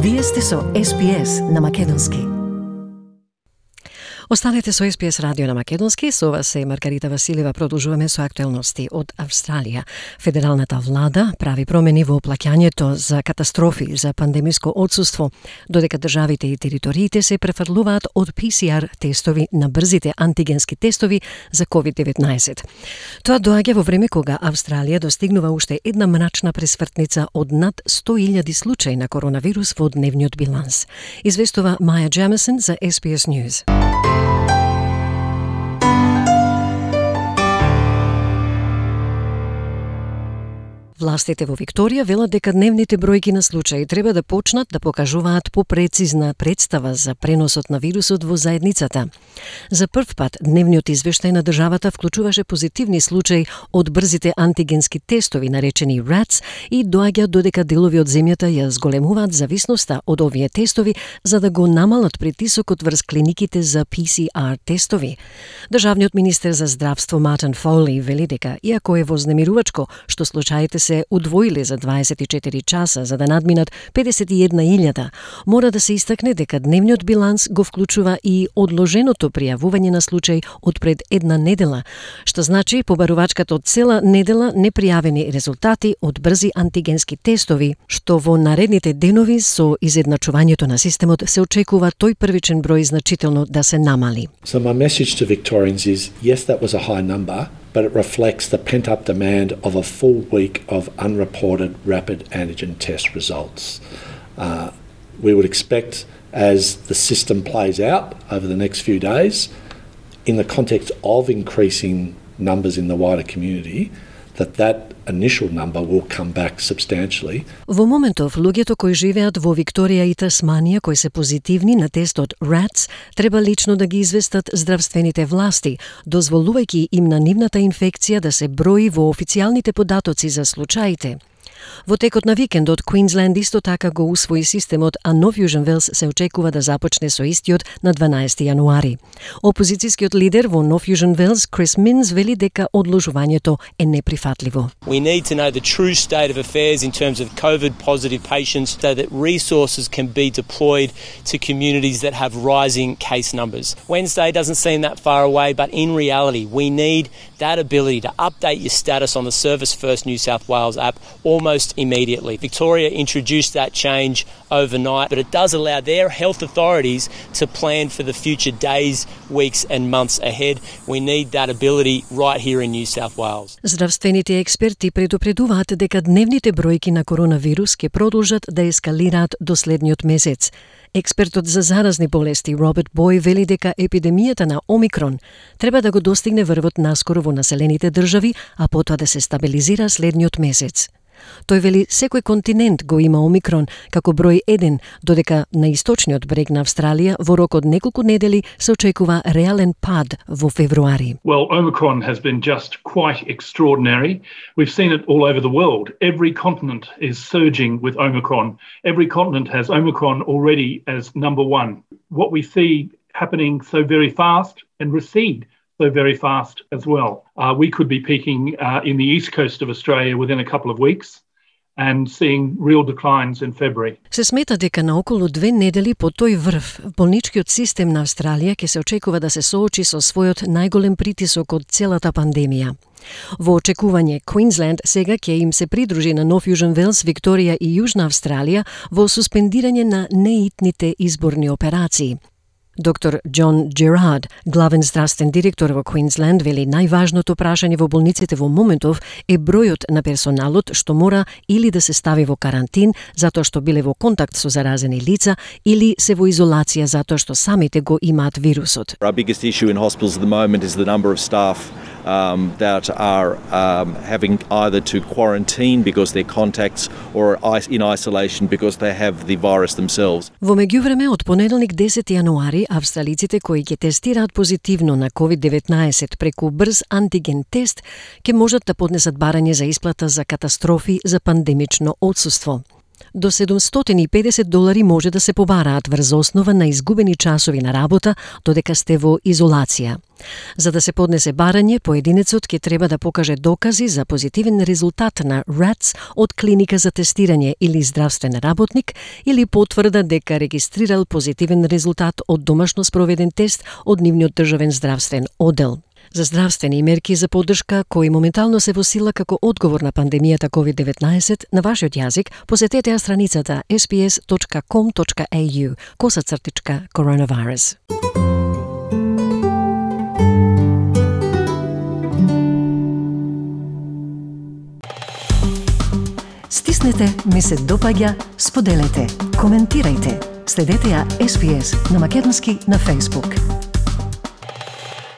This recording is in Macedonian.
Вие сте со SPS на Македонски. Останете со SPS радио на Македонски, со вас е Маргарита Василева. Продолжуваме со актуелности од Австралија. Федералната влада прави промени во плаќањето за катастрофи за пандемиско отсуство, додека државите и териториите се префрлуваат од PCR тестови на брзите антигенски тестови за COVID-19. Тоа доаѓа во време кога Австралија достигнува уште една мрачна пресвртница од над 100.000 случаи на коронавирус во дневниот биланс. Известува Маја Джемисон за SPS News. Властите во Викторија велат дека дневните бројки на случаи треба да почнат да покажуваат попрецизна представа за преносот на вирусот во заедницата. За прв пат дневниот извештај на државата вклучуваше позитивни случаи од брзите антигенски тестови наречени RATs и доаѓа додека делови од земјата ја зголемуваат зависноста од овие тестови за да го намалат притисокот врз клиниките за PCR тестови. Државниот министер за здравство Мартин Фоли вели дека иако е вознемирувачко што случаите се удвоиле за 24 часа за да надминат 51.000, мора да се истакне дека дневниот биланс го вклучува и одложеното пријавување на случаи од пред една недела, што значи побарувачката од цела недела непријавени резултати од брзи антигенски тестови, што во наредните денови со изедначувањето на системот се очекува тој првичен број значително да се намали. So my message to Victorians is, yes, that was a high number, but it reflects the pent-up demand of a full week of unreported rapid antigen test results. We would expect, as the system plays out over the next few days, in the context of increasing numbers in the wider community, that initial number will come back substantially. Во моментов, луѓето кои живеат во Викторија и Тасманија кои се позитивни на тестот RATs треба лично да ги известат здравствените власти, дозволувајќи им на нивната инфекција да се брои во официјалните податоци за случаите. Во текот на викендот, Квинсленд исто така го усвои системот, а Нов Јужен Велс се очекува да започне со истиот на 12 јануари. Опозицијскиот лидер во Нов Јужен Велс, Крис Минс, вели дека одложувањето е неприфатливо. We need to know the true state of affairs in terms of COVID-positive patients so that resources can be deployed to communities that have rising case numbers. Wednesday doesn't seem that far away, but in reality, we need that ability to update your status on the Service First New South Wales app almost immediately. Victoria introduced that change overnight, but it does allow their health authorities to plan for the future days, weeks and months ahead. We need that ability right here in New South Wales. Здравствените експерти предупредуваат дека дневните бројки на коронавирус ќе продолжат да ескалираат до следниот месец. Експертот за заразни болести Роберт Бој вели дека епидемијата на Омикрон треба да го достигне врвот наскоро во населените држави, а потоа да се стабилизира следниот месец. Тој вели секој континент го има Омикрон како број 1, додека на источниот брег на Австралија во рок од неколку недели се очекува реален пад во февруари. Well, Omicron has been just quite extraordinary. We've seen it all over the world. Every continent is surging with Omicron. Every continent has Omicron already as number one. What we see happening so very fast and recede so very fast as well. We could be peaking in the east coast of Australia within a couple of weeks and seeing real declines in February. Се смета дека на околу 2 недели по тој врв, болничкиот систем на Австралија ќе се очекува да се соочи со својот најголем притисок од целата пандемија. Во очекување, Квинсленд сега ќе им се придружи на Нов Јужен Велс, Викторија и Јужна Австралија во суспендирање на неитните изборни операции. Доктор Џон Джерард, главен здравствен директор во Квинсленд, вели најважното прашање во болниците во моментов е бројот на персоналот што мора или да се стави во карантин затоа што биле во контакт со заразени лица или се во изолација затоа што самите го имаат вирусот. Our biggest issue in hospitals at the moment is the number of staff that are having either to quarantine because they're contacts or in isolation because they have the virus themselves. Во меѓувреме, од понеделник 10 јануари, австралиците кои ќе тестираат позитивно на COVID-19 преку брз антиген тест ќе можат да поднесат барање за исплата за катастрофи за пандемично отсуство. До $750 може да се побараат врз основа на изгубени часови на работа додека сте во изолација. За да се поднесе барање, поединецот ќе треба да покаже докази за позитивен резултат на RATS од клиника за тестирање или здравствен работник или потврда дека регистрирал позитивен резултат од домашно спроведен тест од нивниот државен здравствен оддел. За здравствени мерки за поддршка кои моментално се во сила како одговор на пандемијата COVID-19 на вашиот јазик, посетете ја страницата sbs.com.au/coronavirus. Стиснете, ми се допаѓа, споделете, коментирајте. Следете ја SBS на македонски на Facebook.